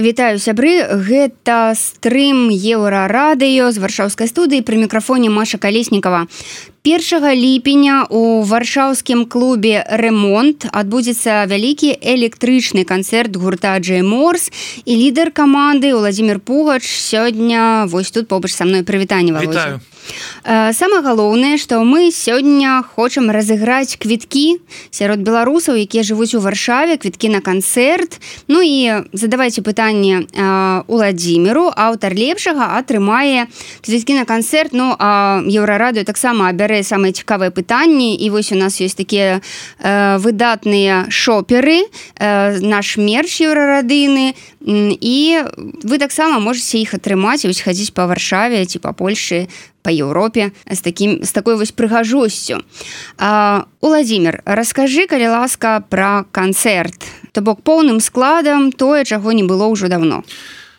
Вітаю, сябры, гэта стрым Еўрарадыё з варшаўскай студыі, пры мікрафоне Маша Калеснікава. 1 ліпеня у варшаўскім клубе «Ремонт» адбудзецца вялікі электрычны канцэрт гурта Джэй Морс, і лідар каманды Уладзімір Пугач сёння вось тут побач са мной. Прывітанне, Володя. Вітаю. Самае галоўнае, што мы сёння хочам разыграць квіткі сярод беларусаў, якія жывуць у Варшаве, квіткі на канцэрт. Ну і задавайце пытанне Уладзіміру, аўтар лепшага атрымае квіткі на канцэрт. Ну, а Еўрарадыё таксама абярэ самыя цікавыя пытанні, і вось у нас ёсць такія выдатныя шоперы, наш мерч еўрарадыйны, і вы таксама можаце іх атрымаць і вось хадзіць па Варшаве ці па Польшы, па Еўропе з такой вось прыгажосцю. Уладзімір, раскажы, калі ласка, пра канцэрт, то бок поўным складам тое, чаго не было ўжо давно.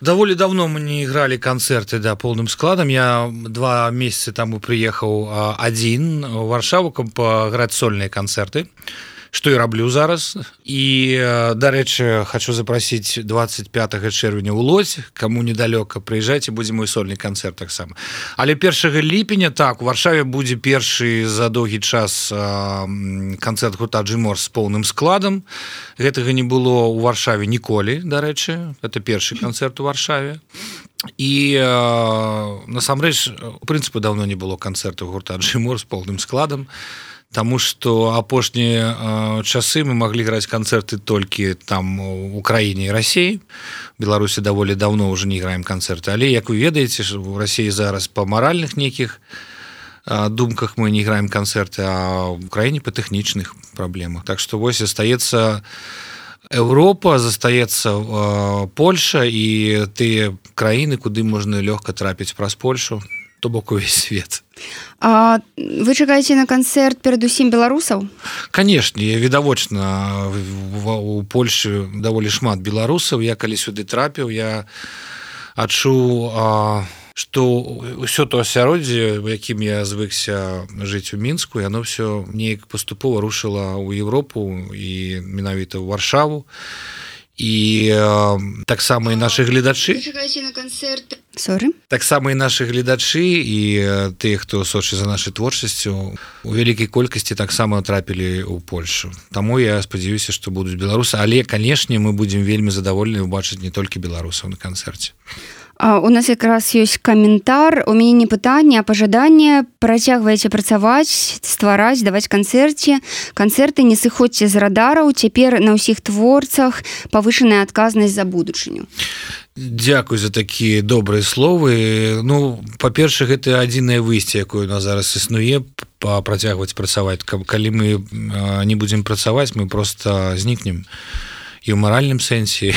Даволі давно мы не играли концерты, да, полным складом. Я 2 месяца таму приехал один в Варшаву, каб паграць сольныя концерты, што і раблю зараз. І, дарэчы, хочу запросіць 25 чэрвеня ў Лодзь, каму недалёка, прыязджайце, будзе мой сольны канцэрт таксама. Але 1 ліпеня, так, у Варшаве будзе першы за доўгі час канцэрт гурта Джэй Морс з поўным складам. Гэтага не было ў Варшаве ніколі, дарэчы. Это першы канцэрт у Варшаве. І насамрэч, у прынцыпе, даўно не было канцэрту гурта Джэй Морс з поўным складам. Таму што апошнія часы мы маглі граць канцэрты толькі там у краіне і Расіі. Беларусі даволі даўно ўжо не граем канцэрты. Але, як вы ведаеце, у Расіі зараз па маральных нейкіх думках мы не граем канцэрты, а ў краіне па тэхнічных праблемах. Так што вось застаецца Еўропа, застаецца Польша і тыя краіны, куды можна лёгка трапіць праз Польшу, то бок увесь свет. А вы чакаеце на канцэрт перадусім беларусаў? Канешне, відавочна, у Польшы даволі шмат беларусаў. Я калі сюды трапіў, я адчуў, што ўсё то асяроддзе, у якім я звыкся жыць у Мінску, яно ўсё неяк паступова рушыла ў Еўропу і менавіта ў Варшаву. І таксама і нашы гледачы. Вы чакаеце на канцэрт? Таксама і нашы гледачы і тыя, хто сочыць за нашай творчасцю, у вялікай колькасці таксама трапілі ў Польшу. Таму я спадзяюся, што будуць беларусы, але, канешне, мы будзем вельмі задаволены ўбачыць не толькі беларусаў на канцэрце. У нас якраз ёсць каментар, у мяне не пытанне, а пажаданне. Працягваеце працаваць, ствараць, даваць канцэрты, не сыходзьце з радараў, цяпер на ўсіх творцах павышаная адказнасць за будучыню. Дзякуй за такія добрыя словы. Ну, па-першае, гэта адзінае выйсце, якое у нас зараз існуе, працягваць працаваць. Калі мы не будзем працаваць, мы проста знікнем. І ў маральным сэнсе,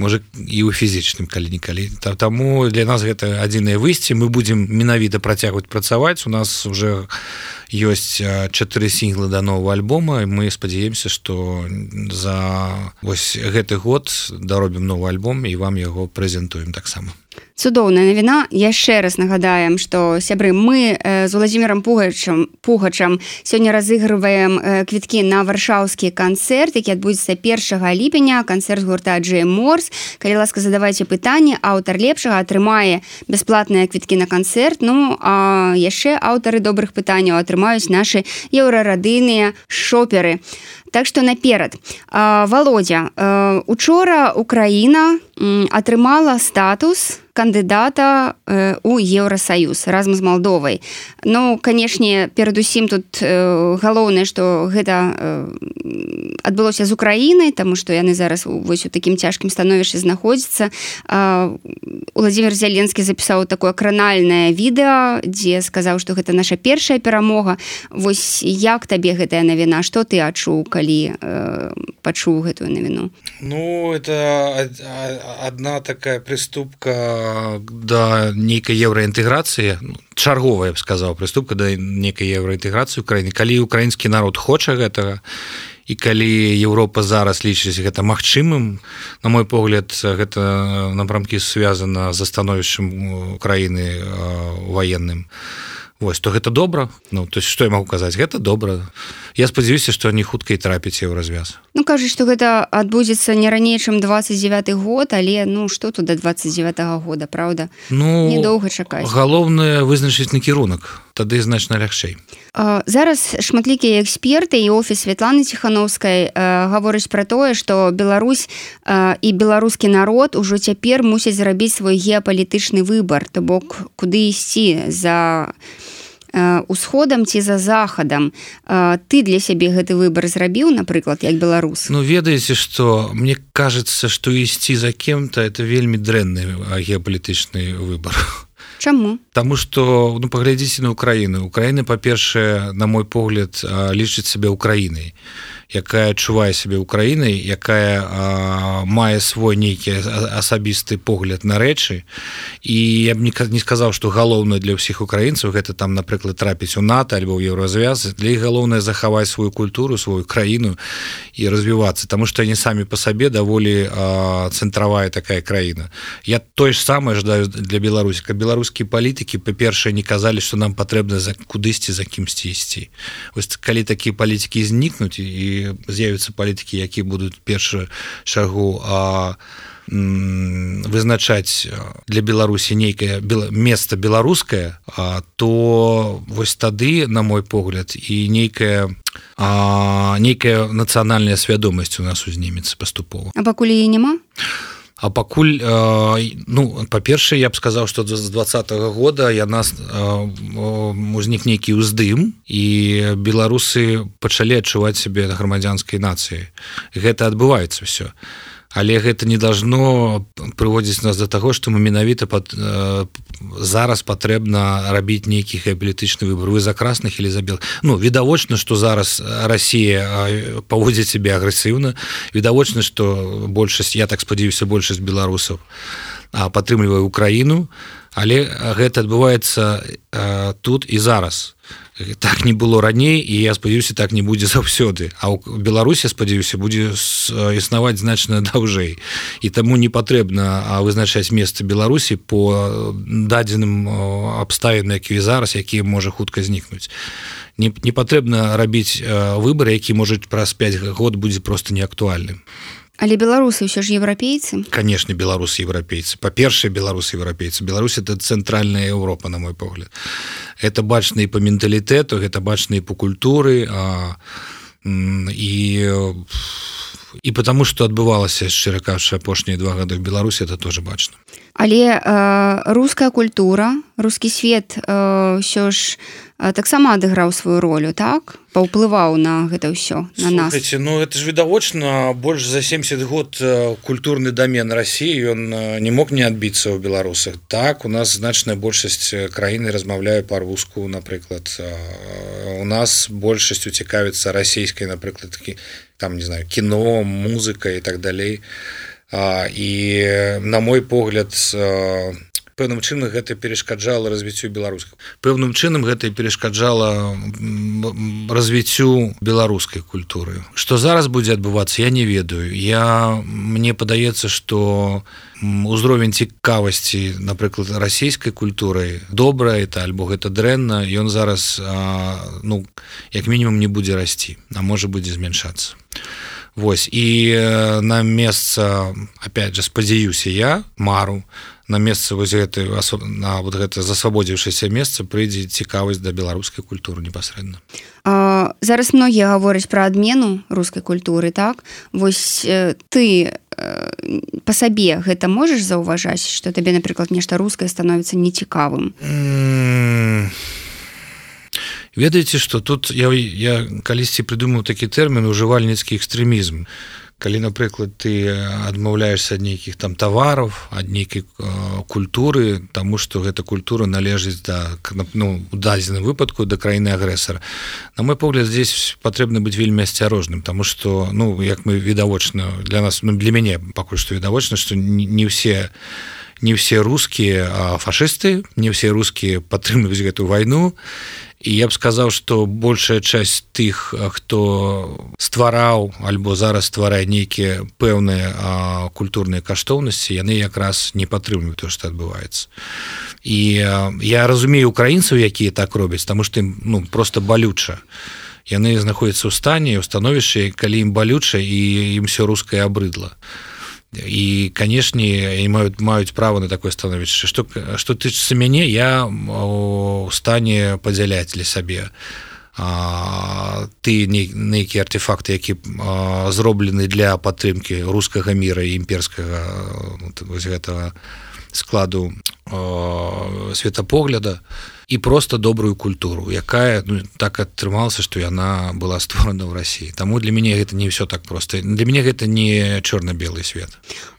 можа, і ў фізічным калі-нікалі. Таму для нас гэта адзінае выйсце. Мы будзем менавіта працягваць працаваць. У нас уже ёсць 4 сінглы да новага альбома, і мы спадзяемся, што за вось гэты год даробім новы альбом і вам яго прэзентуем таксама. Цудоўная навіна. Яшчэ раз нагадаем, што, сябры, мы з Уладзімірам Пугачам сёння разыгрываем квіткі на варшаўскі канцэрт, які адбудзецца 1 ліпеня, канцэрт гурта Джэй Морс. Калі ласка, задавайце пытанне, аўтар лепшага атрымае бясплатныя квіткі на канцэрт. Ну, а яшчэ аўтары добрых пытанняў атрымаюць нашы еўрарадыйныя шоперы. Так што наперад. Володя, учора Украіна атрымала статус кандыдата у Еўрасаюз разам з Малдовай. Ну, канешне, перадусім тут галоўнае, што гэта адбылося з Украінай, таму што яны зараз вось у такім цяжкім становішчы знаходзяцца. Уладзімір Зеленскі запісаў такое кранальнае відэа, дзе сказаў, што гэта наша першая перамога. Вось як табе гэтая навіна? Што ты адчуў, калі пачуў гэтую навіну? Ну, это одна такая приступка да нейкай еўраінтэграцыі, чарговая, я б сказаў, приступка да нейкай еўраінтэграцыі ў краіне. Калі украінскі народ хоча гэтага, і калі Еўропа зараз лічыць гэта магчымым, на мой погляд, гэта напрамкі звязана з становішчам краіны ваенным. Вось, то гэта добра. Ну, то есть, што я магу казаць, гэта добра. Я спадзяюся, што не хутка і трапіць ў развяз. Ну, кажуць, што гэта адбудзецца не раней, чым 29 год, але ну што тут да 29 года, правда? Ну, недоўга чакаць. Галоўнае вызначыць накірунак, тады значна лягчэй. Зараз шматлікія эксперты і офіс Святланы Ціхановскай гавораць пра тое, што Беларусь і беларускі народ ужо цяпер мусяць зрабіць свой геапалітычны выбар, то бок куды ісці, за усходам ці за захадам. Ты для сябе гэты выбар зрабіў, напрыклад, як беларус? Ну, ведаеце, што мне кажется, што ісці за кем-то это вельмі дрэнны геапалітычны выбар. Чаму? Таму што, ну, паглядзіце на Украіну. Украіна, па-першае, на мой погляд, лічыць сябе Украінай, якая адчувае сябе Украінай, якая мае свой нейкі асабісты погляд на рэчы. І я б не сказаў, што галоўнае для ўсіх украінцаў гэта там, напрыклад, трапіць у НАТО альбо ў Еўразвяз. Для іх галоўнае захаваць сваю культуру, сваю краіну і развівацца, таму што яны самі па сабе даволі цэнтравая такая краіна. Я тое ж самае жадаю для Беларусі, каб беларускія палітыкі, па-першае, не казалі, што нам патрэбна кудысьці за кімсьці ісці. Вось калі такія палітыкі знікнуць і з'явяцца палітыкі, якія будуць першую чаргу вызначаць для Беларусі нейкае месца беларускае, то вось тады, на мой погляд, і нейкая нацыянальная свядомасць у нас узнімецца паступова. А пакуль яе няма? А пакуль, ну, па-першае, я б сказаў, што з 20-го года узнік нейкі ўздым, і беларусы пачалі адчуваць сябе грамадзянскай нацыяй. Гэта адбываецца ўсё. Але гэта не должно прыводзіць нас до таго, што мы менавіта зараз патрэбна рабіць нейкі геапалітычны выбор. Вы за красных или за белых? Ну, відавочна, што зараз Расія паводзіць сябе агрэсіўна. Відавочна, што большасць, я так спадзяюся, большасць беларусаў падтрымлівае Украіну, але гэта адбываецца тут і зараз. Так не было раней, і я спадзяюся, так не будзе заўсёды. А ў Беларусі, спадзяюся, будзе існаваць значна даўжэй. І таму не патрэбна вызначаць месца Беларусі по дадзеным абставінам, якія зараз, якія можа хутка знікнуць. Не патрэбна рабіць выбар, які, можа, праз 5 год будзе проста неактуальным. Але беларусы ўсё ж еўрапейцы? Конечно, беларусы еўрапейцы. Па-першае, беларусы еўрапейцы. Беларусь — это цэнтральная Еўропа, на мой погляд. Это бачна і по менталітэту, гэта бачна і по культуры, і потому, што адбывалася, шчыра кажучы, апошнія 2 гады в Беларусі, это тоже бачна. Але руская культура, рускі свет ўсё ж таксама адыграў сваю ролю, так? Паўплываў на гэта ўсё, на нас. Слухайте, ну это ж відавочна, больш за 70 год культурны домен России, он не мог не адбіцца ў беларусах. Так, у нас значная большасць краіны размаўляе па-руску, напрыклад. У нас большасць уцікавіцца расійскай, напрыклад, там, не знаю, кіно, музыка і так далей. І, на мой погляд, пэўным чынам гэта перашкаджала развіццю беларускай. Пэўным чынам гэта перашкаджала развіццю беларускай культуры. Што зараз будзе адбывацца, я не ведаю. Мне падаецца, што узровень цікавасці, напрыклад, расійскай культуры добра это альбо гэта дрэнна, ён зараз, ну, як мінімум не будзе расці, а можа будзе змяншацца. Вось, і на месца, опять же, спадзяюся я, мару, на месца вось гэтай, на вот гэта засвабодзіўшыся месца прыйдзе цікавасць да беларускай культуры непасрэдна. Зараз многія гавораць пра адмену рускай культуры, так? Вось ты па сабе гэта можаш заўважаць, што табе, напрыклад, нешта рускае становіцца нецікавым? Ведаеце, што тут я калісьці прыдумаў такі тэрмін ужывальніцкі экстрэмізм. Калі, напрыклад, ты адмаўляешся ад нейкіх там тавараў, ад нейкай культуры, таму што гэта культура належыць да, ну, у дадзеным выпадку да краіны агрэсара. На мой погляд, здесь патрэбна быць вельмі асцярожным, таму што, ну, як мы відавочна для нас, ну, для мяне пакуль што відавочна, што не ўсе не все русскія фашысты, не все русскія падтрымліваюць гэту вайну. І я б сказаў, што большая часть тых, хто ствараў альбо зараз стварае нейкія пэўныя культурныя каштоўнасці, яны якраз не падтрымліваюць тое, што адбываецца. І я разумею украінцаў, якія так робяць, таму што ім просто балюча. Яны знаходзяцца ў стане, ў становішчы, калі ім балюча і ім все рускае абрыдла. І, канешне, маюць права на такое становішча. Што тычыцца мяне, я у стане падзяляць для сабе ты нейкія артефакты, які зроблены для падтрымкі рускага міра і імперскага гэтага складу светапогляда, і просто добрую культуру, якая так атрымалася, што яна была створана ў Расіі. Таму для мяне гэта не ўсё так проста. Для мяне гэта не чорна-белы свет.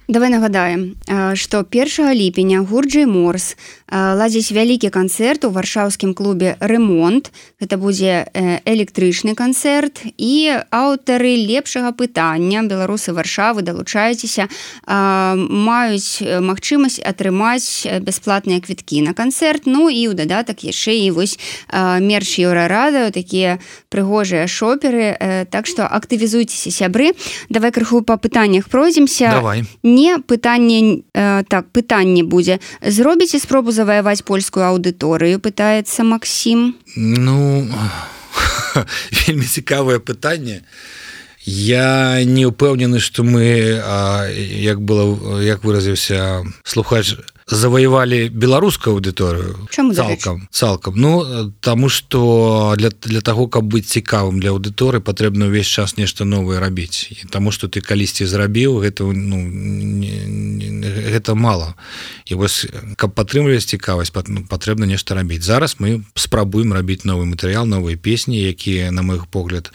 Давай нагадаем, што 1 ліпеня гурт Джей Морс ладзіць вялікі канцэрт у варшаўскім клубе «Ремонт». Гэта будзе электрычны канцэрт, і аўтары лепшага пытання, беларусы Варшавы, далучайцеся, маюць магчымасць атрымаць бясплатныя квіткі на канцэрт, ну і ў дадатак яшчэ і вось мерч Еўрарадыё, такія прыгожыя шоперы, так што актывізуйцеся, сябры. Давай крыху па пытаннях пройдземся. Давай. Не пытанне, так, пытанне будзе. Зробіце спробу заваяваць польскую аўдыторыю, пытаецца Максім. Вельмі цікавае пытанне. Я не ўпэўнены, што мы, як выразіўся слухач, заваявалі беларускую аўдыторыю. Чаму цалкам? Таму што для таго, каб быць цікавым для аўдыторыі, патрэбна ўвесь час нешта новае рабіць. Таму што ты калісьці зрабіў, гэта мала. І вось, каб падтрымліваць цікавасць, патрэбна нешта рабіць. Зараз мы спрабуем рабіць новы матэрыял, новыя песні, якія, на мой погляд,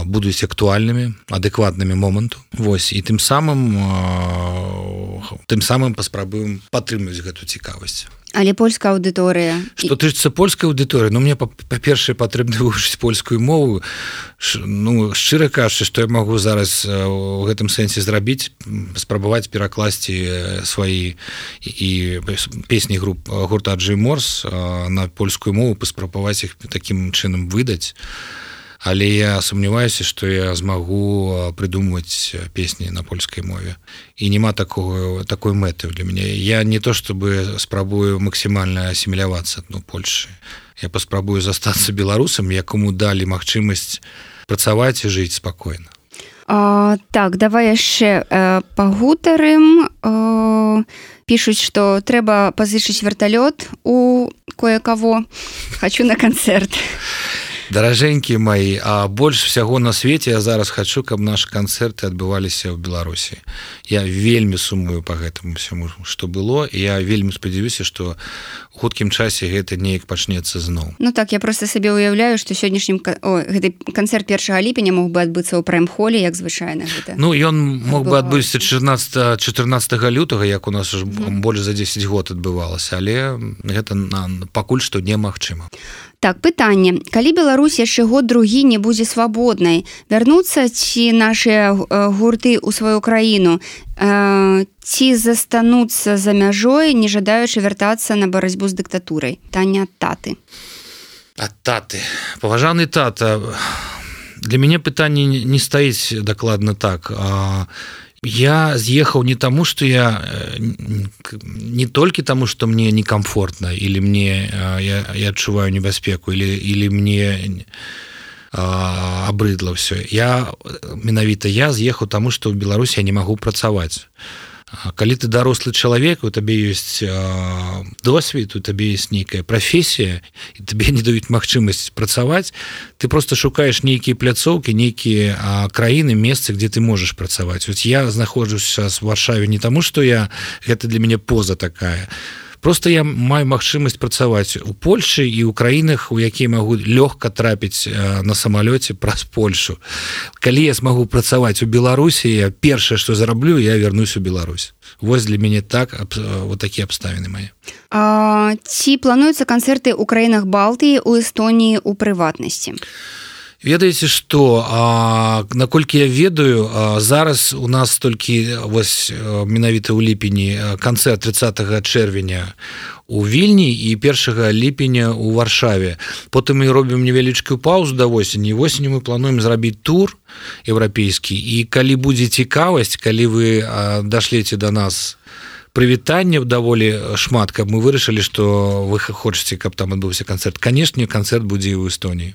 будуць актуальнымі, адэкватнымі моманту. Вось, і тым самым паспрабуем падтрымліваць гэту цікавасць. Але польская аўдыторыя... Што тычыцца польскай аўдыторыі, мне, па-першае, патрэбна вывучыць польскую мову. Шчыра кажучы, што я магу зараз у гэтым сэнсе зрабіць, спрабаваць перакласці свае і песні гурта Джей Морс на польскую мову, паспрабаваць іх такім чынам выдаць. Але я сумняваюся, што я змагу прыдумваць песні на польскай мове. І няма такой мэты для мяне. Я не то, чтобы спрабую максімальна асімілявацца у Польшы. Я паспрабую застацца беларусам, якому далі магчымасць працаваць і жыць спакойна. Так, давай яшчэ пагутарым. Пішуць, што трэба пазычыць верталёт у кое-каго. Хачу на канцэрт. Даражэнькі мои, а больш всяго на свеце я зараз хачу, каб нашы канцэрты адбываліся ў Беларусі. Я вельмі сумую па гэтаму всяму, што было, і я вельмі спадзяюся, што у хуткім часе гэта неяк пачнецца зноў. Так, я просто сабе уяўляю, што сённяшнім гэты канцэрт 1 ліпеня мог бы адбыцца ў прайм-холе, як звычайна гэта. Ён мог бы адбыцца 14 лютага, як у нас уже больш за 10 год адбывалася, але гэта пакуль што немагчыма. Так, пытанне. Калі Беларусь яшчэ год-другі не будзе свабоднай, вярнуцца ці нашыя гурты ў сваю краіну, ці застануцца за мяжой, не жадаючы вяртацца на барацьбу з дыктатурай? Пытанне ад таты. Ад таты. Паважаны тата, для мяне пытанне не стаіць дакладна так. Я з'ехаў не таму, што я не толькі таму, што мне некамфортна, или мне я адчуваю небяспеку, или мне абрыдла ўсё. Менавіта я з'ехаў таму, што ў Беларусі я не магу працаваць. Калі ты дарослы чалавек, у табе ёсць досвед, у табе ёсць нейкая прафесія, і табе не даюць магчымасць працаваць, ты просто шукаеш нейкія пляцоўкі, нейкія краіны, месцы, дзе ты можаш працаваць. Я знаходжуся в Варшаве не таму, што гэта для мяне поза такая. Просто я маю магчымасць працаваць у Польшы і ў краінах, у якія магу лёгка трапіць на самалёце праз Польшу. Калі я змагу працаваць у Беларусі, я першае, што зараблю, я вярнусь у Беларусь. Вось для мяне вот такія абставіны мае. Ці плануюцца канцэрты ў краінах Балтыі, у Эстоніі ў прыватнасці? Ведаеце што, наколькі я ведаю, зараз у нас толькі вось менавіта ў ліпені канцэрт 30 чэрвеня у Вільні і 1 ліпеня у Варшаве. Потым мы робім невялічкую паузу да восені. Восенню мы плануем зрабіць тур еўрапейскі, і калі будзе цікавасць, калі вы дашлеце да нас прывітанняў даволі шмат, каб мы вырашылі, што вы хочаце, каб там адбыўся канцэрт. Канешне, канцэрт будзе і ў Эстоніі.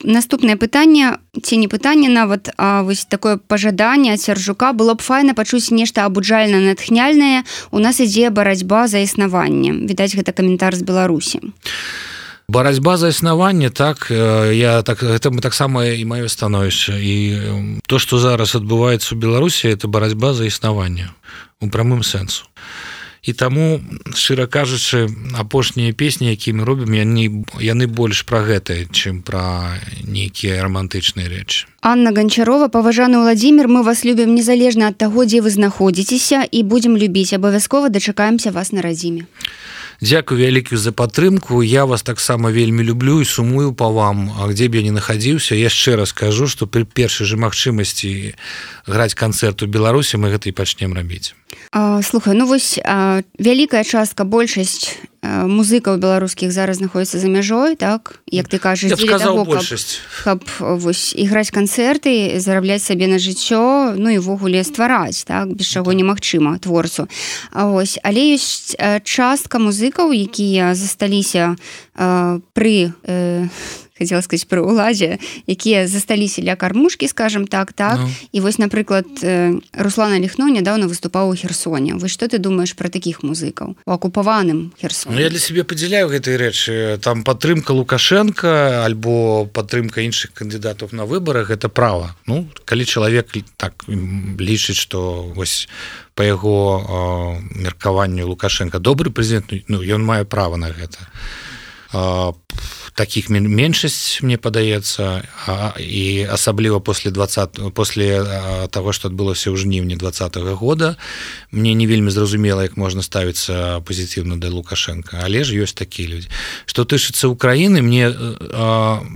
Наступнае пытанне, ці не пытанне нават, а вось такое пажаданне ад Сяржука. Было б файна пачуць нешта абуджальна-натхняльнае. У нас ідзе барацьба за існаванне. Відаць, гэта каментар з Беларусі. Барацьба за існаванне, так, гэта таксама і маё становішча. І то, што зараз адбываецца ў Беларусі, это барацьба за існаванне у прамым сэнсу. І таму, шчыра кажучы, апошнія песні, якія мы робім, яны больш пра гэта, чым пра нейкія романтычныя рэчы. Анна Гончарова: паважаны Владзімір, мы вас любім незалежна ад таго, дзе вы знаходзіцеся, і будзем любіць. Абавязкова дачакаемся вас на радзіме. Дзякую вялікую за падтрымку. Я вас таксама вельмі люблю і сумую па вам, а дзе б я не нахадзіўся. Яшчэ раз кажу, што пры першай жа магчымасці граць канцэрт у Беларусі мы гэта і пачнем рабіць. Слухай, ну вось вялікая частка, большасць музыкаў беларускіх зараз знаходзіцца за мяжой, так? Як ты кажаш, дзеля таго, каб вось іграць канцэрты, зарабляць сабе на жыццё, ну і ввогуле ствараць, так? Без чаго немагчыма творцу. Але ёсць частка музыкаў, якія засталіся пры хотела сказать, пры ўладзе, якія засталіся ля кармушкі, скажем так. No. І вось, напрыклад, Руслан Аліхно нядаўна выступаў у Херсоне. Вось што ты думаеш пра такіх музыкаў у акупаваным Херсоне? Ну, я для сябе падзяляю гэтыя рэчы. Там падтрымка Лукашенка альбо падтрымка іншых кандыдатаў на выбарах — гэта права. Ну, калі чалавек так лічыць, што вось па яго меркаванню Лукашенка добры прэзідэнт, ну, ён мае права на гэта. Таких меншасць, мне падаецца, і асабліва после того, што адбылося ў жніўні 2020 года, мне не вельмі зразумела, як можна ставіцца пазітыўна да Лукашенка, але ж ёсць такія людзі. Што тычыцца Украіны,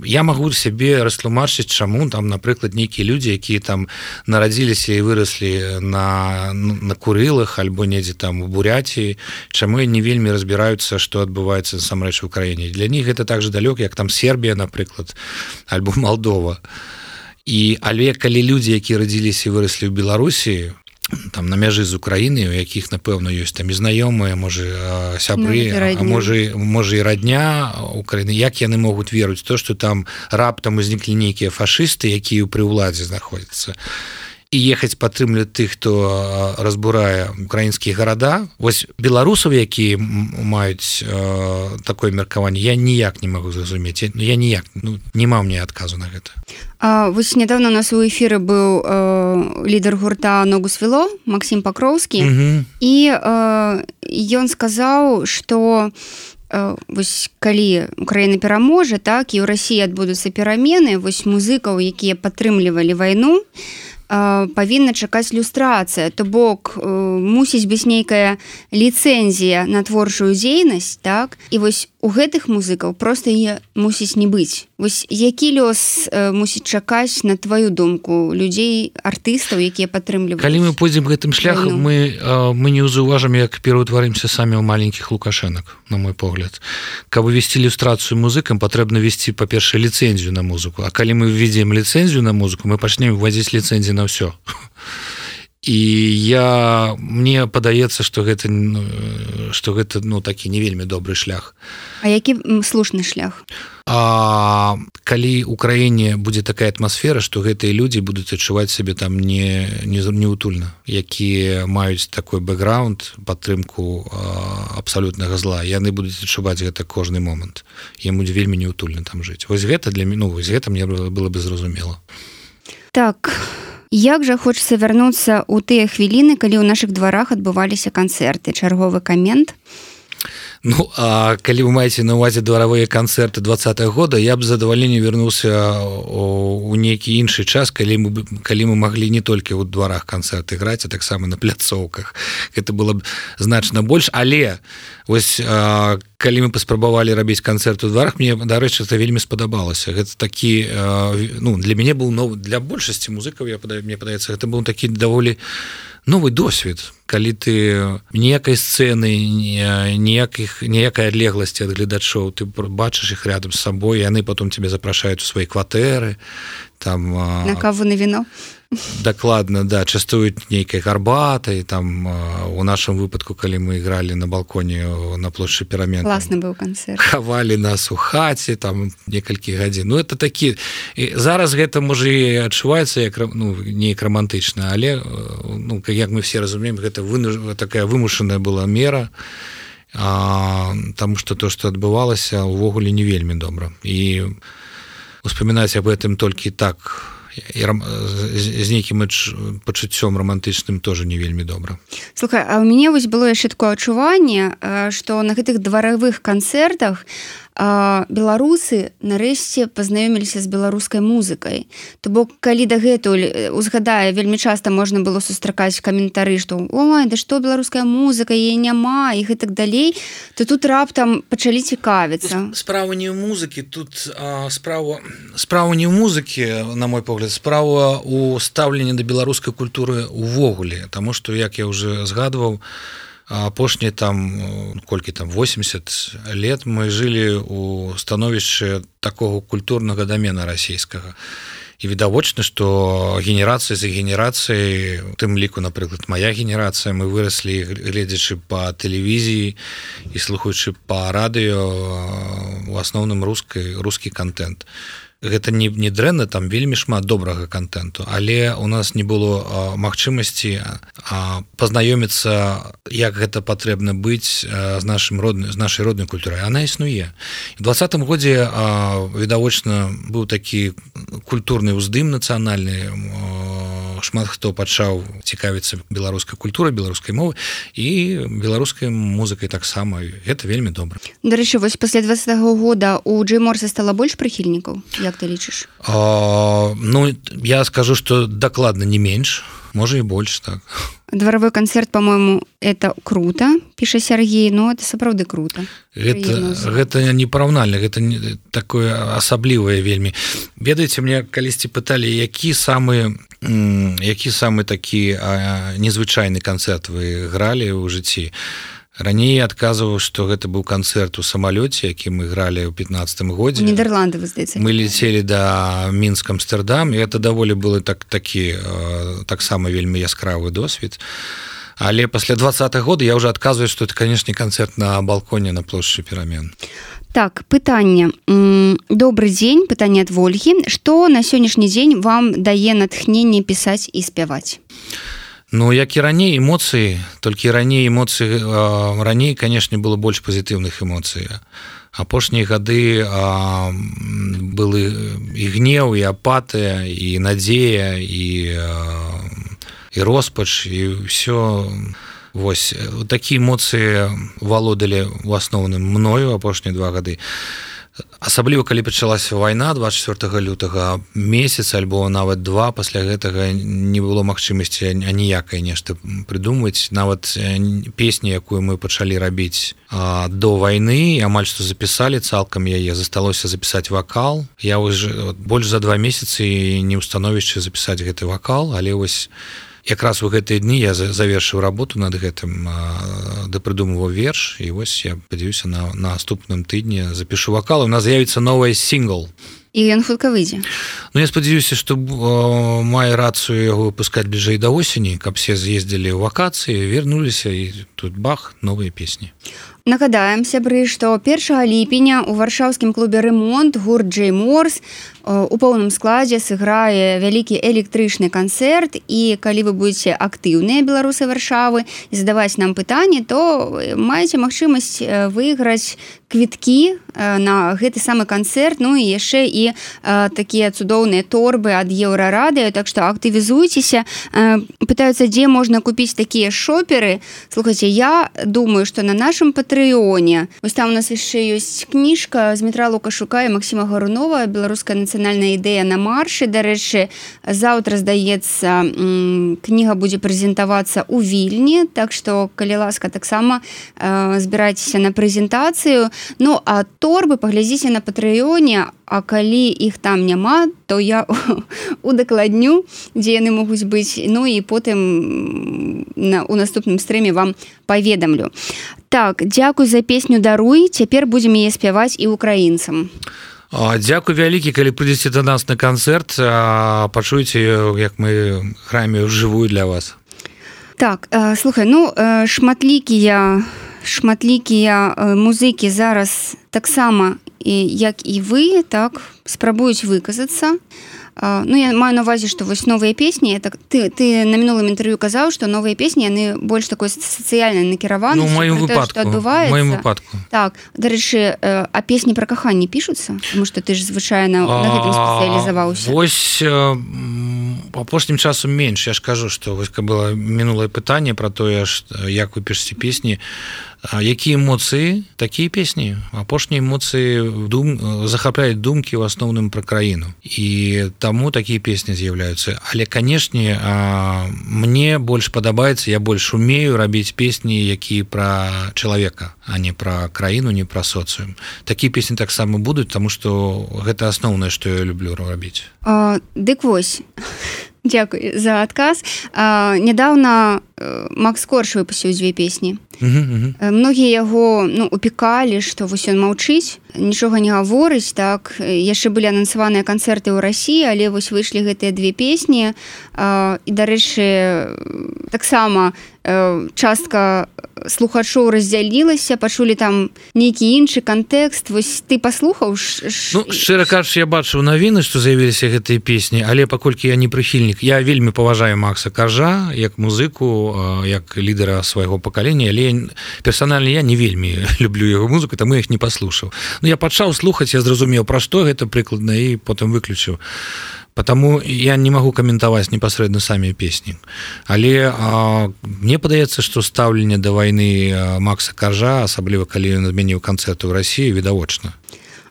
я магу сябе растлумачыць, чаму там, напрыклад, нейкія людзі, якія там нарадзіліся і выраслі на Курылах альбо недзе там у Бурятіі, чаму не вельмі разбіраюцца, што адбываецца насамрэч у Украіне. Для них гэта так же далёка, як там Сербія, напрыклад, альбо Малдова. Але калі людзі, якія радзіліся і выраслі ў Беларусі, там на мяжы з Украінай, у якіх, напэўна, ёсць там і знаёмыя, можа, сябры, а можа і радня Украіны, як яны могуць верыць то, што там раптам узніклі нейкія фашысты, якія пры ўладзе знаходзяцца, і ехаць падтрымліваць тых, хто разбурае украінскія гарада. Вось беларусаў, якія маюць такое меркаванне, я ніяк не магу зразумець. Я ніяк, няма мне адказу на гэта. Вось нядаўна у нас у эфіры быў лідар гурта «Ногу свело» Максім Пакроўскі, і ён сказаў, што вось калі Украіна пераможа, так, і ў Расіі адбудуцца перамены, вось музыкаў, якія падтрымлівалі вайну, павінна чакаць люстрацыя, то бок мусіць быць нейкая ліцэнзія на творчую дзейнасць, так? І вось у гэтых музыкаў проста яе мусіць не быць. Вось які лёс мусіць чакаць, на тваю думку, людзей, артыстаў, якія падтрымліваюць? Калі мы пойдзем гэтым шляхам, мы не ўзаўважым, як пераўтварымся самі ў маленькіх лукашэнак, на мой погляд. Каб весці ілюстрацыю музыкам, патрэбна весці, па-першае, ліцэнзію на музыку. А калі мы введзем ліцэнзію на музыку, мы пачнем вводзіць ліцэнзіі на ўсё. І мне падаецца, што гэта такі не вельмі добры шлях. А які слушны шлях? Калі ў краіне будзе такая атмасфера, што гэтыя людзі будуць адчуваць сябе там неутульна, якія маюць такой бэкграунд, падтрымку абсалютнага зла, яны будуць адчуваць гэта кожны момант. Ім будзе вельмі неутульна там жыць. Вось гэта для мяне, вось гэта мне было бы зразумела. Так, як жа хочацца вярнуцца ў тыя хвіліны, калі ў нашых дварах адбываліся канцэрты? Чарговы камент? Ну, а калі вы маеце на увазе дваравыя канцэрты 20-го года, я б з задавальненнем вярнуўся у нейкі іншы час, калі мы маглі не толькі ў дварах канцэрты граць, а таксама на пляцоўках. Гэта было б значна больш, але вось калі мы паспрабавалі рабіць канцэрт у дварах, мне, дарэчы, это вельмі спадабалася. Гэта такі, ну, для мяне быў новы, для большасці музыкаў, мне падаецца, гэта быў такі даволі новый досвед, калі ты ніякай сцэны, ніякай адлегласці ад гледачоў, ты бачыш іх рядом з сабой, яны потом тебе запрашаюць у свае кватэры, там на каву, на віно. Дакладна, да, частуюць нейкай гарбатай, там у нашым выпадку, калі мы ігралі на балконе на плошчы Перамен, класны быў канцэрт, хавалі нас у хаце там некалькі гадзін. Ну это такі, і зараз гэта можа і адчуваецца як, ну, неяк романтычна, але, ну, як мы все разумеем, гэта такая вымушаная была мера, таму што то, што адбывалася, увогуле не вельмі добра. І успамінаць аб гэтым толькі так з нейкім пачуццём романтычным тоже не вельмі добра. Слухай, а у мяне вось было яшчэ такое адчуванне, што на гэтых дваравых канцэртах беларусы нарэшце пазнаёміліся з беларускай музыкай. То бок, калі дагэтуль узгадае, вельмі часта можна было сустракаць каментары, што ой, да што беларуская музыка, яе няма, і гэтак далей, то тут раптам пачалі цікавіцца. Справа не ў музыкі, тут справа не ў музыкі, на мой погляд, справа ў стаўленні да беларускай культуры увогуле, таму што, як я уже згадваў, апошнія там, колькі там, 80 лет мы жылі ў становішчы такого культурнага дамена расійскага. І відавочна, што генерацыя за генерацыяй, у тым ліку, напрыклад, мая генерацыя, мы выраслі, гледзячы па тэлевізіі і слухаючы па радыё, у асноўным рускі контент. Гэта не дрэнна, там вельмі шмат добрага контенту, але у нас не было магчымасці пазнаёміцца, як гэта патрэбна быць з нашай роднай культурай. Она існуе. В 20-м годзе відавочна быў такі культурны ўздым нацыянальны, шмат хто пачаў цікавіцца беларускай культурай, беларускай мовай і беларускай музыкай таксама. Гэта вельмі добра. Дарэчы, вось пасля 20-го года у Джэй Морса стала больш прыхільнікаў? Як ты лічыш? Ну, я скажу, што дакладна не менш, можа і больш, так. Дворовой концерт, по-моему, это круто, піша Сергей, но это сапраўды круто. Гэта непараўнальна, гэта такое асаблівае вельмі. Ведаеце, мне калісьці пыталі, які самы такі незвычайны канцэрт вы гралі ў жыцці. Раней адказваў, што гэта быў канцэрт у самалёце, які мы гралі ў 15-м годзе. Нідерланды, вы здаецца. Мы летелі да Мінск, Амстердам, і гэта даволі было такі таксама вельмі яскравы досвед. Але пасля 20-го года я ўжо адказваю, што это, канешне, канцэрт на балконе на плошчы Перамен. Так, пытанне. Добры дзень, пытанне ад Вольгі. Што на сённяшні дзень вам дае натхненне пісаць і спяваць? Ну, як і раней эмоцыі, толькі раней, канешне, было больш пазітыўных эмоцый. Апошнія гады былі і гнеў, і апатыя, і надзея, і роспач, і ўсё. Вось, такія эмоцыі валодалі ў асноўным мною апошнія 2 гады. Асабліва, калі пачалася вайна 24 лютага, месяц альбо нават 2, пасля гэтага не было магчымасці аніякай нешта прыдумваць. Нават песню, якую мы пачалі рабіць до вайны, амаль што запісалі цалкам яе, засталося запісаць вакал. Я ўжо больш за 2 месяцы не ў становішчы запісаць гэты вакал, але вось якраз у гэтыя дні я завершыў работу над гэтым, дапрыдумываў верш, і вось я спадзяюся, на наступным тыдні запішу вакал, у нас з'явіцца новый сінгл. І ён хутка выйдзе. Ну, я спадзяюся, што маю рацыю яго выпускаць бліжэй да осені, каб все з'ездзілі ў вакацыі, вернуліся, і тут бах, новыя песні. Нагадаем, сябры, што 1 ліпеня ў варшаўскім клубе «Ремонт» гурт Джэй Морс у поўным складзе сыграе вялікі электрычны канцэрт, і калі вы будзеце актыўныя беларусы Варшавы і задаваць нам пытанні, то маеце магчымасць выйграць квіткі на гэты самы канцэрт, ну і яшчэ і такія цудоўныя торбы ад Еўрарадыё, так што актывізуйцеся. Пытаюцца, дзе можна купіць такія шоперы. Слухайце, я думаю, што на нашым патрыёне, вось там у нас яшчэ ёсць кніжка Змітра Лукашука і Максіма Гарунова «Беларуская нацыянальная ідэя на маршы». Дарэчы, заўтра, здаецца, кніга будзе прэзентавацца ў Вільні, так што, калі ласка, таксама збірайцеся на прэзентацыю. Ну, а торбы паглядзіце на патрыёне, а калі іх там няма, то я удакладню, дзе яны могуць быць, ну і потым у наступным стрыме вам паведамлю. Так, дзякуй за песню «Даруй», цяпер будзем яе спяваць і украінцам. Дзякуй вялікі, калі прыйдзеце да нас на канцэрт, пачуеце, як мы граем ўжывую для вас. Так, слухай, ну, шматлікія музыкі зараз таксама, як і вы, так, спрабуюць выказацца. Ну, я маю на увазе, што вось новыя песні, ты на мінулым інтэрв'ю казаў, што новыя песні, яны больш такой сацыяльнай накіраванасці. Ну, у маім выпадку. Так, дарэчы, а песні пра каханне пішуцца? Таму што ты ж звычайна на гэтым спецыялізаваўся. Вось апошнім часам менш. Я ж кажу, што вось было мінулае пытанне пра тое, як вы пішаце песні. Якія эмоцыі, такія песні. Апошнія эмоцыі захапляюць думкі ў асноўным пра краіну. І таму такія песні з'яўляюцца. Але, канешне, мне больш падабаецца, я больш умею рабіць песні, якія пра чалавека, а не пра краіну, не пра соцыум. Такія песні таксама будуць, таму што гэта асноўнае, што я люблю рабіць. Дык вось. Дзякуй за адказ. Нядаўна Макс Корж выпусціў 2 песні. Многія яго упікалі, што вось ён маўчыць, нічога не гаворыць, так, яшчэ былі анансаваныя канцэрты ў Расіі, але вось выйшлі гэтыя 2 песні. І, дарэчы, таксама частка слухачоў раздзялілася, пачулі там нейкі іншы кантэкст. Вось ты паслухаў? Ну, шчыра кажучы, я бачыў навіны, што з'явіліся гэтыя песні, але паколькі я не прыхільнік, я вельмі паважаю Макса Коржа як музыку, як лідара свайго пакалення, але персанальна я не вельмі люблю яго музыку, таму я іх не паслухаў. Ну, я пачаў слухаць, я зразумеў, пра што гэта прыкладна, і потым выключыў. Потому я не магу каментаваць непасрэдна самі песні. Але мне падаецца, што стаўленне да вайны Макса Коржа, асабліва калі ён адмяніў канцэрты ў Расіі, відавочна.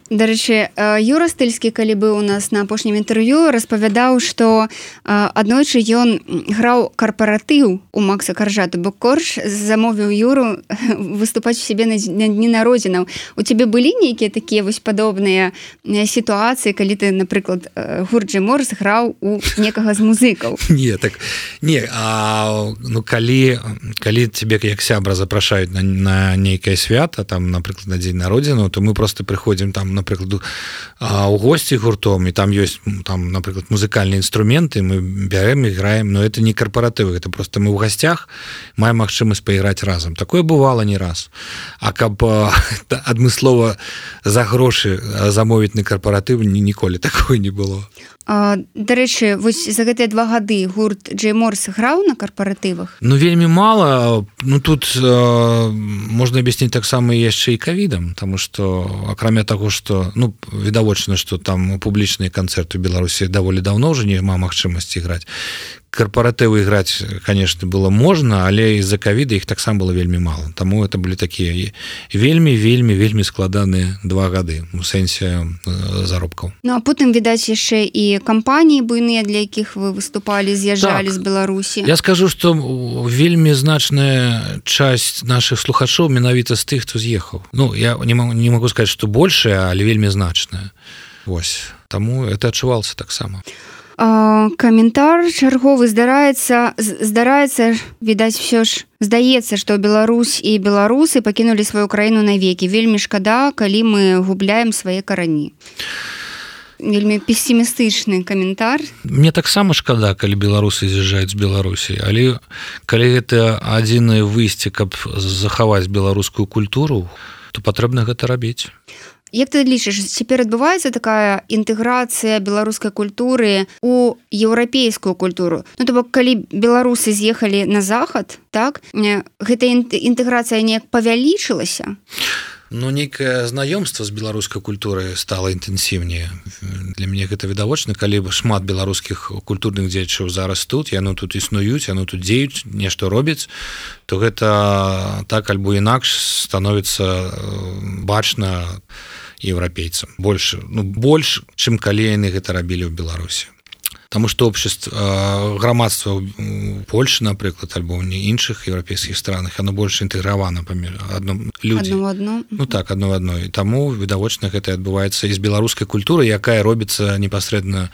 Дарэчы, Юра Стыльскі, калі быў у нас на апошнім інтэрв'ю, распавядаў, што аднойчы ён граў карпаратыў у Макса Коржа, то бок Корж замовіў Юру выступаць у сябе на дні народзінаў. У цябе былі нейкія такія вось падобныя сітуацыі, калі ты, напрыклад, гурт Джэй Морс граў у некага з музыкаў? Не, так, не, ну, калі цябе як сябра запрашаюць на нейкае свята, там, напрыклад, на дзень народзінаў, то мы просто прыходзім там, напрыклад, у госці гуртом, і там ёсць, там, напрыклад, музыкальныя інструменты, мы бярэм і граем, но это не карпаратывы, это просто мы ў гасцях маем магчымасць пайграць разам. Такое бывала не раз. А каб адмыслова за грошы замовіць на карпаратыў, ніколі такое не было. Дарэчы, вось за гэтыя 2 гады гурт Джэй Морс граў на карпаратывах? Ну, вельмі мала. Ну, тут можна аб'ясніць таксама яшчэ і ковідам, таму што, акрамя таго, што, ну, відавочна, што там публічныя канцэрты ў Беларусі даволі даўно ўжо няма магчымасці граць. Карпаратывы іграць, конечно, было можна, але з-за ковіда іх таксама было вельмі мала. Таму это былі такія вельмі складаныя 2 гады у сэнсе заробкаў. Ну, а потым, відаць, яшчэ і кампаніі буйныя, для якіх вы выступалі, з'язджалі з Беларусі. Я скажу, што вельмі значная часть нашых слухачоў менавіта з тых, хто з'ехаў. Ну, я не магу сказаць, што большая, але вельмі значная. Вось. Таму это адчувалася таксама. Каментар чарговы здараецца, відаць, ўсё ж здаецца, што Беларусь і беларусы пакінулі сваю краіну навекі. Вельмі шкада, калі мы губляем свае карані. Вельмі пессімістычны каментар. Мне таксама шкада, калі беларусы з'язджаюць з Беларусі, але калі гэта адзінае выйсце, каб захаваць беларускую культуру, то патрэбна гэта рабіць. Як ты лічыш, цяпер адбываецца такая інтэграцыя беларускай культуры ў еўрапейскую культуру? Ну, то бок, калі беларусы з'ехалі на захад, так, гэта інтэграцыя неяк павялічылася? Ну, нейкае знаёмства з беларускай культурай стала інтэнсіўнее. Для мяне гэта відавочна, калі шмат беларускіх культурных дзеячаў зараз тут, яны тут існуюць, яны тут дзеюць, нешта робяць, то гэта так альбо інакш становіцца бачна еўрапейцам. Больш, чым калі яны гэта рабілі ў Беларусі. Таму што общество, грамадства ў Польшы, напрыклад, альбо ў іншых еўрапейскіх странах, оно больш інтэгравана паміж людзі. Адно. Ну так, адно в адно. І таму, відавочна, гэта адбываецца і з беларускай культуры, якая робіцца непасрэдна,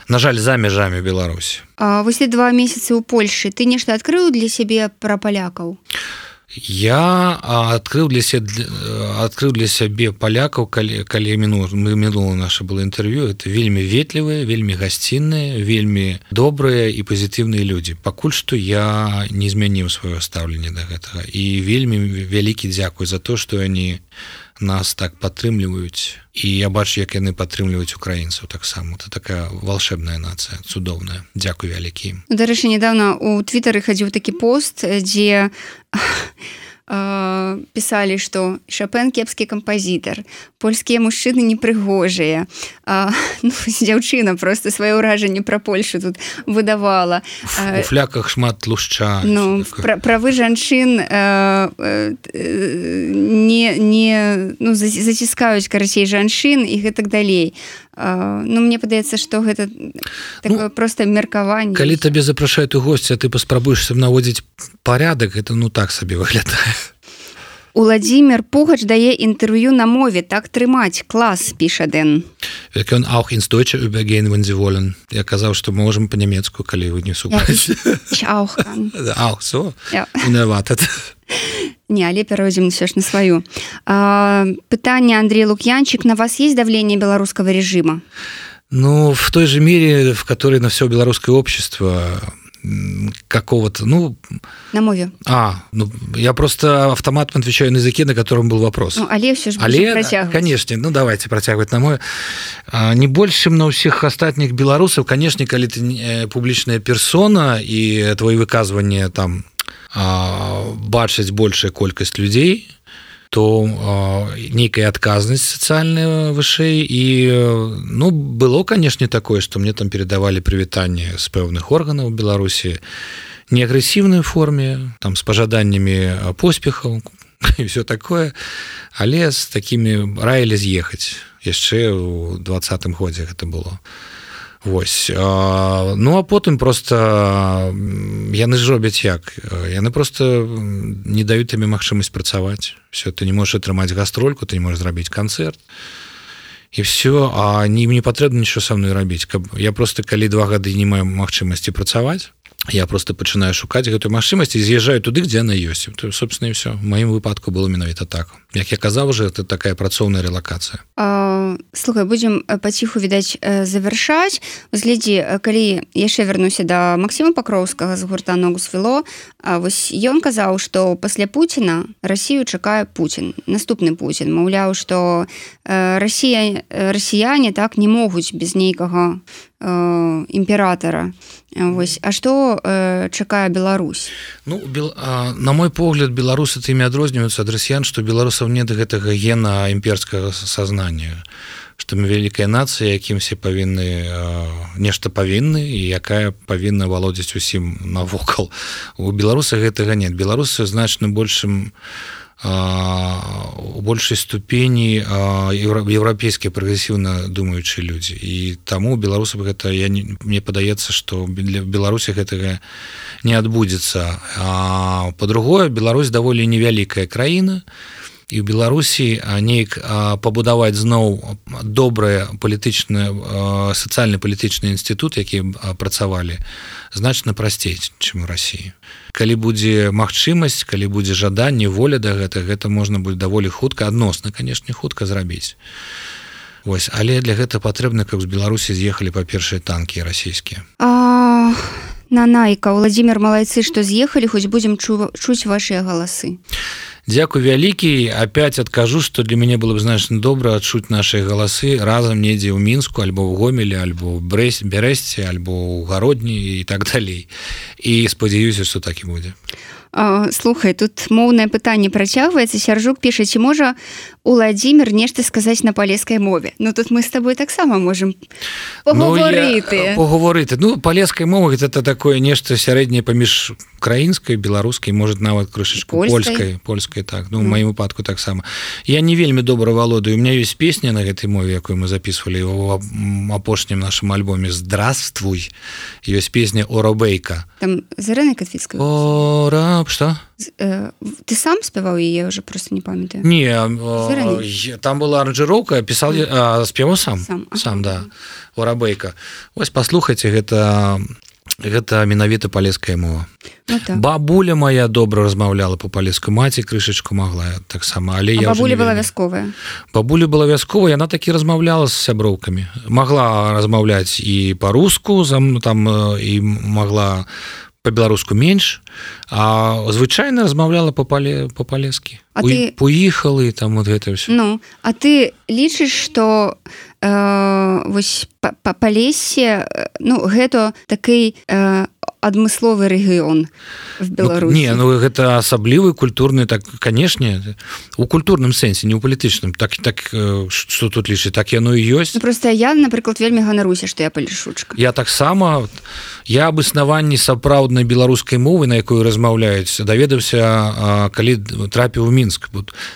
на жаль, за межамі Беларусі. Вось ты 2 месяцы ў Польшы. Ты нешта адкрыў для сябе пра палякаў? Я адкрыў для сябе палякаў, калі мінула наша было інтэрв'ю, это вельмі ветлівыя, вельмі гасцінныя, вельмі добрыя і пазітыўныя людзі. Пакуль што я не змяніў сваё стаўленне да гэтага. І вельмі вялікі дзякуй за то, што яны нас так падтрымліваюць. І я бачу, як яны падтрымліваюць украінцаў таксама. Это такая волшебная нацыя, цудоўная. Дзякуй вялікі ім. Дарэчы, нядаўна ў Твітары хадзіў такі пост, дзе пісалі, што Шопен кепскі кампазітар, польскія мужчыны непрыгожыя. Дзяўчына просто сваё ўражанне пра Польшу тут выдавала. У фляках шмат тлушча. Правы жанчын заціскаюць, карацей, жанчын і гэтак далей. Мне падаецца, што гэта такое проста меркаванне. Калі табе запрашаюць у госці, а ты паспрабуеш наводзіць парядак, гэта так сабе выглядае. Уладзімір Пугач дае інтэрв'ю на мове, так трымаць, клас, піша Дэн. Wir können auch ins Deutsche übergehen, wenn Sie wollen. Я казаў, што можам па-нямецку, калі вы не супраць. Ich auch kann. Auch so? Ja. Unerwartet. Не, але перайдзем ўсё ж на сваю. Пытанне Андрей Лукьянчик. На вас есть давление белорусского режима? Ну, в той же мере, в которой на все белорусское общество какого-то, На мове. Я просто автоматом отвечаю на языке, на котором был вопрос. Але все же будем протягивать. Конечно, давайте протягивать на мове. Не больше, чем на всех остальных белорусов, конечно, когда ты публичная персона, и твои выказывания там бачыць большая колькасць людзей, то нейкая адказнасць сацыяльная вышэй. І было, конечно, такое, што мне там перадавалі прывітанне з пэўных органаў Беларусі, не агрэсіўнай форме, там з пажаданнямі поспехаў і все такое, але з такімі раілі з'ехаць. Яшчэ ў 20-м годзе гэта было. Вось. А потым просто яны ж робяць як? Яны просто не даюць табе магчымасць працаваць. Все, ты не можаш атрымаць гастрольку, ты не можаш зрабіць канцэрт. І все, а не патрэбна нічого са мной рабіць. Я просто, калі 2 гады не маю магчымасці працаваць, я просто пачынаю шукаць гэтую магчымасць і з'язджаю туды, дзе яна ёсць. То, собственно, і все. В маім выпадку было менавіта так. Як я казаў уже, это такая працоўная релакацыя. Слухай, будзем паціху, відаць, завяршаць. Глядзі, калі яшчэ вярнуся да Максіма Пакроўскага з гурта «Ногу свело», вось ён казаў, што пасля Пуціна Расію чакае Пуцін, наступны Пуцін. Маўляў, што расіяне так не могуць без нейкага імператара. Вось. А што чакае Беларусь? На мой погляд, беларусы тымі адрозніваюцца ад расіян, што беларусаў нет гэтага гена імперскага сазнання, што мы вялікая нацыя, якім все павінны нешта павінны і якая павінна валодзіць усім навокал. У беларусах гэтага нет. Беларусы значна у большай ступені еўрапейскія прагрэсіўна думаючыя людзі. І таму беларусам гэта, мне падаецца, што для Беларусі гэтага не адбудзецца. Па-другое, Беларусь даволі невялікая краіна, і ў Беларусі неяк пабудаваць зноў добрыя сацыяльна-палітычны інстытут, які працавалі, значна прасцей, чым у Расіі. Калі будзе магчымасць, калі будзе жаданне, воля да гэта можна будзе даволі хутка, адносна, канешне, хутка зрабіць. Вось, але для гэта патрэбна, каб з Беларусі з'ехалі па-першыя танкі расійскія. Нанайка, Уладзімір, малайцы, што з'ехалі, хоць будзем чуць вашыя галасы. Дзякуй вялікі. Опять адкажу, што для мяне было б значна добра адчуць нашыя галасы разам недзе ў Мінску, альбо ў Гомелі, альбо ў Бярэсце, альбо ў Гародні і так далей. І спадзяюся, што так і будзе. Слухай, тут моўнае пытанне працягваецца. Сяржук піша, ці можа Уладзімір нешта сказаць на палескай мове? Ну тут мы з табой таксама можам паговорыты. Ну, палескай мова гэта такое нешта сярэдняе паміж украінскай, беларускай, можа нават крышачку польскай, так. Ну, у маім выпадку таксама. Я не вельмі добра валодаю. У меня ёсць песня на гэтай мове, якую мы записывалі ў апошнім нашым альбоме «Здравствуй». Ёсць песня «Оробейка». Там з Ірынай Катвіцкай? Что? Ты сам спяваў яе, уже просто не памятаю. Не, там была аранжыроўка, пісаў, спяваў сам, да, «Оробейка». Вось паслухайце, гэта менавіта палеская мова. Ну, так. Бабуля моя добра размаўляла па-палеску, маці крышачку могла таксама, але я бабуля была вясковая? Бабуля была вясковая, яна такі размаўляла з сяброўкамі. Могла размаўляць і па-руску, там і могла па-беларуску менш, а звычайна размаўляла па-палескі. Поехали, там вот гэта ўсё. Ну, а ты лічыш, што вось Палессе, ну, гэта такі адмысловы рэгіён в Беларусі? Не, ну гэта асаблівы культурны, так, канешне, у культурным сэнсе, не ў палітычным. Так, што тут лічыць, так яно і ёсць. Ну, просто я, напрыклад, вельмі ганаруся, што я палішучка. Я таксама, я аб існаванні сапраўднай беларускай мовы, на якой размаўляюць, даведаўся, калі трапіў у Мінск.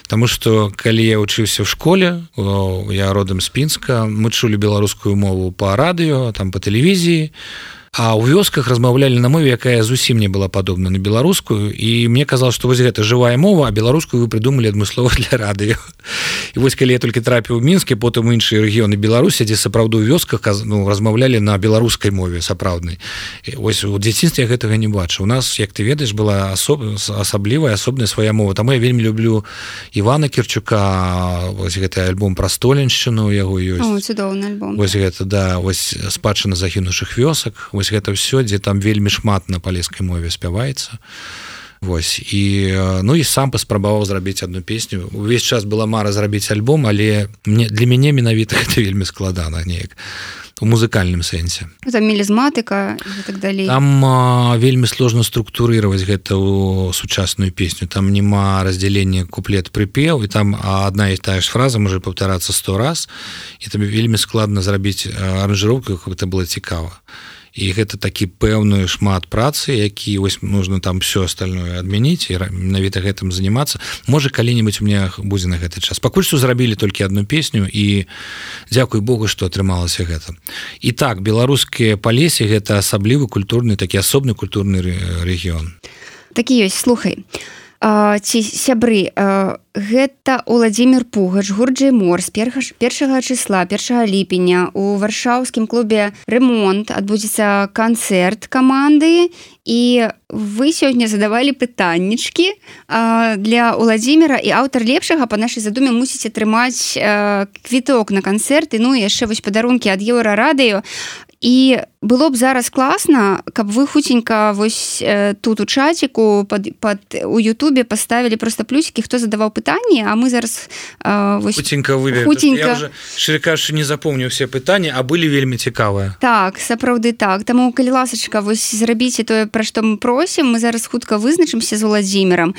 Таму што, калі я вучыўся в школе, я родам з Пінска, мы чулі беларускую мову па радыё, там па тэлевізіі, а ў вёсках размаўлялі на мове, якая зусім не была падобна на беларускую, і мне казалось, што вось гэта жывая мова, а беларускую вы придумалі адмыслова для радыё. І вось калі я толькі трапіў у Мінск, потым іншыя рэгіёны Беларусі, дзе сапраўды ў вёсках размаўлялі на беларускай мове сапраўднай. І вось у дзяцінстве я гэтага не бачыў. У нас, як ты ведаеш, была асаблівая, асобная свая мова. Таму я вельмі люблю Івана Кірчука, вось гэты альбом пра столеншчыну, у яго ёсць. О, цудоўны альбом. Вось гэта, да, вось спадчына загінуўшых вёсак. Вось гэта ўсё, дзе там вельмі шмат на палескай мове спяваецца. Вось, і, ну, і сам паспрабаваў зрабіць одну песню. Увесь час была мара зрабіць альбом, але для мяне менавіта гэта вельмі складана неяк у музыкальным сэнсе. Там мелізматыка і так далей. Там вельмі сложна структурировать гэта ў сучасную песню. Там нема разделення куплет-прыпеў, і там одна і тая ж фраза можа паўтарацца 100 раз, і там вельмі складна зрабіць аранжыроўку, каб гэта было цікава. І гэта такі пэўную шмат працы, які вось нужно там все остальное адмяніць і менавіта гэтым занимацца. Можа, калі-небудзь у меня будзе на гэты час. Пакуль што зрабілі толькі одну песню, і дзякуй Богу, што атрымалася гэта. І так, беларускія Палесе гэта асаблівы культурны, такі асобны культурны рэгіён. Такі ёсць, слухай. Ці сябры, гэта Уладзімір Пугач, гурт Джэй-Мор з 1 числа, 1 ліпеня у варшаўскім клубе «Ремонт» адбудзецца канцэрт каманды, і вы сёння задавалі пытаннічкі для Уладзіміра, і аўтар лепшага па нашай задуме мусіць атрымаць квіток на канцэрт, і ну і яшчэ вось падарункі ад Еўрарадыё. І было б зараз класна, каб вы хутенька вось тут у чаціку у Ютубе паставілі просто плюсики, хто задаваў пытанні, а мы зараз вось хутенька вывели. Я уже, шчыра кажучы, не запомню все пытанні, а былі вельмі цікавыя. Так, сапраўды так. Таму, калі ласачка, вось зрабіце тое, пра што мы просім, мы зараз хутка вызначымся з Уладзімірам.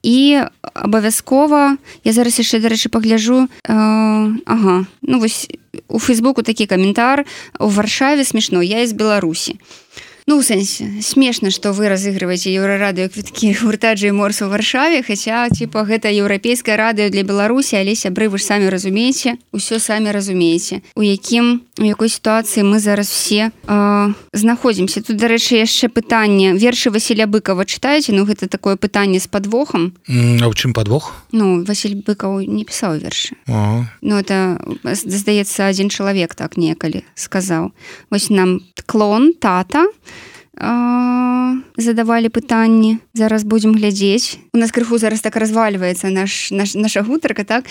І абавязкова, я зараз яшчэ, дарэчы, пагляджу, ну вось у Фейсбуку такі каментар: у Варшаве смешно, я из Беларусі. Ну, у сэнсе, смешна, што вы разыгрываеце Еўрарадыё квіткі гурта Джэй-Мор у Варшаве, хаця, типа, гэта еўрапейскае радыё для Беларусі, але, сябры, вы ж самі разумееце, усё самі разумееце, у якой сітуацыі мы зараз все знаходзімся. Тут, дарэчы, яшчэ пытанне. Вершы Васіля Быкова чытаеце? Ну, гэта такое пытанне з падвохам. А ў чым падвох? Ну, Васіль Быкаў не пісаў вершы. Ну, это, здаецца, адзін чалавек так некалі сказаў. Вось нам клон, тата, задавалі пытанні, зараз будзем глядзець. У нас крыху зараз так развальваецца наша гутарка, так?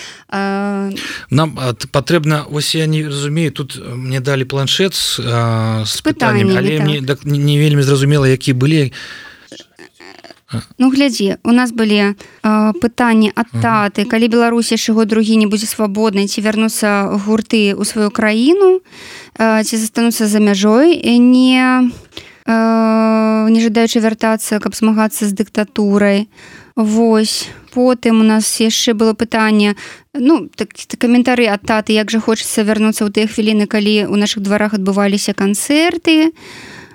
Нам патрэбна, вось я не разумею, тут мне далі планшет з пытаннямі, але мне не вельмі зразумела, які былі. Ну, глядзі, у нас былі пытанні ад таты, калі Беларусь яшчэ год другі не будзе свабоднай, ці вярнуцца гурты ў сваю краіну, ці застануцца за мяжой, не жадаючы вяртацца, каб змагацца з дыктатурай. Вось. Потым у нас яшчэ было пытанне, каментары ад таты, як жа хочацца вярнуцца ў тыя хвіліны, калі ў нашых дварах адбываліся канцэрты.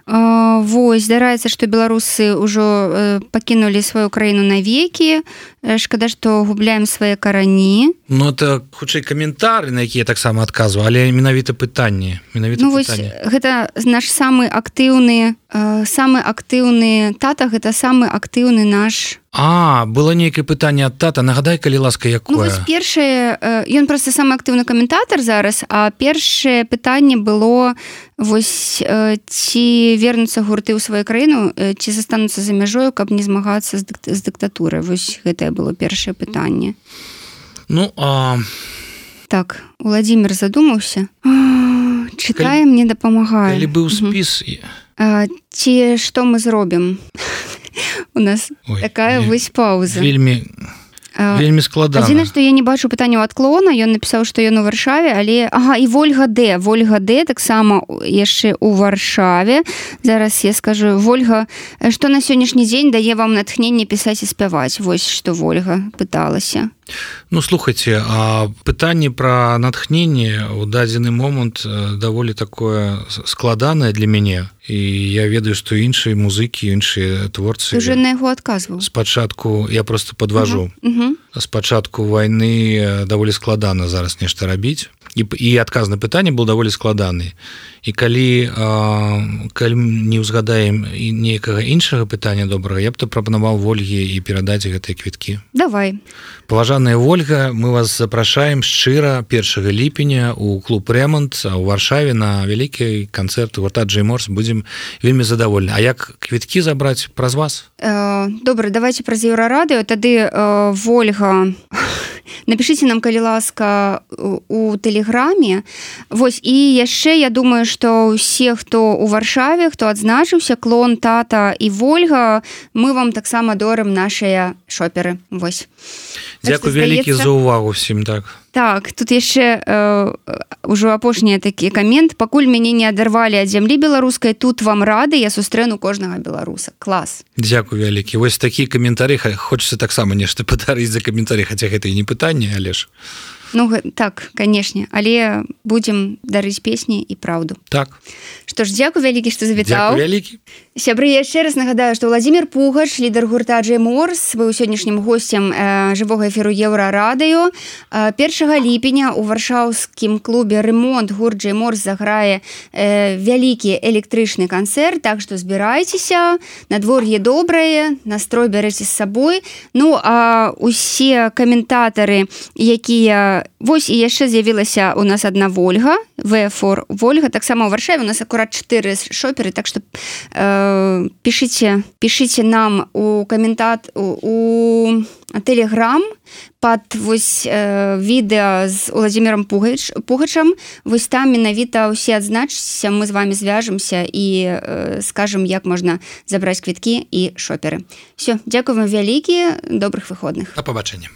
Вось, здараецца, што беларусы ўжо пакінулі сваю краіну навекі. Шкада, што губляем свае карані. Это хутчэй каментары, на якія таксама адказваю, але менавіта пытанні. Вось, гэта наш самы актыўны тата, гэта самы актыўны наш... Было нейкае пытанне ад тата. Нагадай, калі ласка, якое? Вось першае, ён проста самы актыўны каментатар зараз, а першае пытанне было, вось, ці вернуцца гурты ў сваю краіну, ці застануцца за мяжою, каб не змагацца з дыктатурай. Вось гэтае было першае пытанне. Так, Владимир задумаўся. Чытае, мне дапамагае. Калі быў спіс... Ці што мы зробім? У нас такая вось пауза. Вельмі складана. Адзінае, што я не бачу пытання ў адклона, ён напісаў, што ён у Варшаве, але... і Вольга Д. Вольга Д таксама яшчэ ў Варшаве. Зараз я скажу, Вольга, што на сённяшні дзень дае вам натхненне пісаць і спяваць? Вось што Вольга пыталася. Слухайце, пытанне пра натхненне ў дадзены момант даволі такое складанае для мяне. І я ведаю, што іншыя музыкі, іншыя творцы... Ты уже на яго адказваў. Спачатку, я просто подвожу. Спачатку вайны даволі складана зараз нешта рабіць. І адказ на пытанне был даволі складаны. І калі не ўзгадаем нейкага іншага пытання добрага, я б то прапанаваў Вольге і перадаць гэтыя квіткі. Давай. Паважаная Вольга, мы вас запрашаем шчыра 1 ліпеня ў клуб «Рэмонт» у Варшаве на вялікі канцэрт гурта Джэй Морс. Будзем вельмі задавольны. А як квіткі забраць праз вас? Добра, давайте праз Еўрарадыё. Тады Вольга... Напішыце нам, калі ласка, у тэлеграме. Вось, і яшчэ, я думаю, што ўсе, хто ў Варшаве, хто адзначыўся, Клон, Тата і Вольга, мы вам таксама дорым нашыя шоперы. Вось. Дзякуй вялікі за ўвагу всім, так. Так, тут яшчэ ўжо апошні такі камент. Пакуль мяне не адарвалі ад зямлі беларускай, тут вам рады, я сустрэну кожнага беларуса. Клас. Дзякуй вялікі. Вось такі каментары, хочацца таксама нешта падарыць за каментары, хаця гэта і не пытанне, але ж... Так, канешне, але будзем дарыць песні і праўду. Так. Што ж, дзякуй вялікі, што завітаў. Дзякуй вялікі. Сябры, я яшчэ раз нагадаю, што Владимир Пугач, лідар гурта Джэй Морс, быў сённяшнім госцем жывога эфіру Еўрарадыё. 1 ліпеня ў варшаўскім клубе «Ремонт» гурт Джэй Морс заграе вялікі электрычны канцэрт, так што збірайцеся, надвор'е добрае, настрой бярэце з сабой. А усе каментатары, якія... Вось і яшчэ з'явілася у нас адна Вольга, V4 Вольга, таксама ў Варшаве, у нас акурат 4 шоперы, так што пішыце нам у каментат у тэлеграм пад вось відэа з Владимиром Пугачам. Вось там менавіта ўсе адзначыцеся, мы з вами звяжемся і скажам, як можна забраць квіткі і шоперы. Всё, дзякуй вам вялікі, добрых выходных. Да пабачэння.